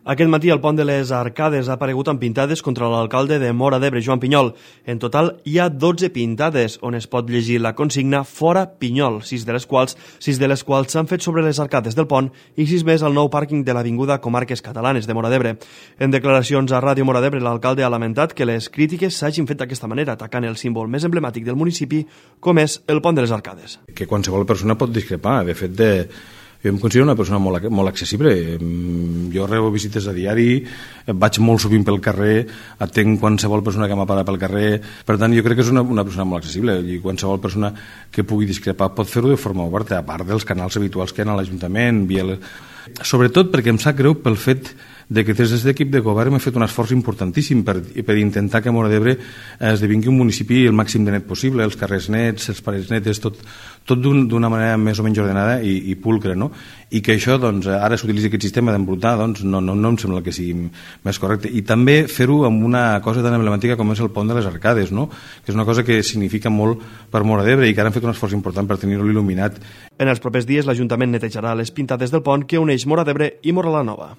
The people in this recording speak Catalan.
Aquest matí el pont de les Arcades ha aparegut amb pintades contra l'alcalde de Móra d'Ebre, Joan Pinyol. En total hi ha 12 pintades on es pot llegir la consigna Fora Pinyol, 6 de les quals s'han fet sobre les arcades del pont i 6 més al nou pàrquing de l'Avinguda Comarques Catalanes de Móra d'Ebre. En declaracions a Ràdio Móra d'Ebre, l'alcalde ha lamentat que les crítiques s'hagin fet d'aquesta manera, atacant el símbol més emblemàtic del municipi, com és el pont de les Arcades. Que qualsevol persona pot discrepar. De fet, jo em considero una persona molt accessible. Jo rebo visites a diari, vaig molt sovint pel carrer, atenc qualsevol persona que m'ha parat pel carrer. Per tant, jo crec que és una persona molt accessible i qualsevol persona que pugui discrepar pot fer-ho de forma oberta, a part dels canals habituals que hi ha a l'Ajuntament. Sobretot perquè em sap greu pel fet de que des de l'equip de govern hem fet un esforç importantíssim per intentar que Móra d'Ebre esdevingui un municipi el màxim de net possible, els carrers nets, les parets netes, tot d'una manera més o menys ordenada i pulcre, no? I que això, doncs, ara s'utilitza aquest sistema d'embrutar, doncs no em sembla que sigui més correcte. I també fer-ho amb una cosa tan emblemàtica com és el pont de les Arcades, no? Que és una cosa que significa molt per Móra d'Ebre i que ara han fet un esforç important per tenir-lo il·luminat. En els propers dies l'Ajuntament netejarà les pintades del pont que uneix Móra d'Ebre i Móra la Nova.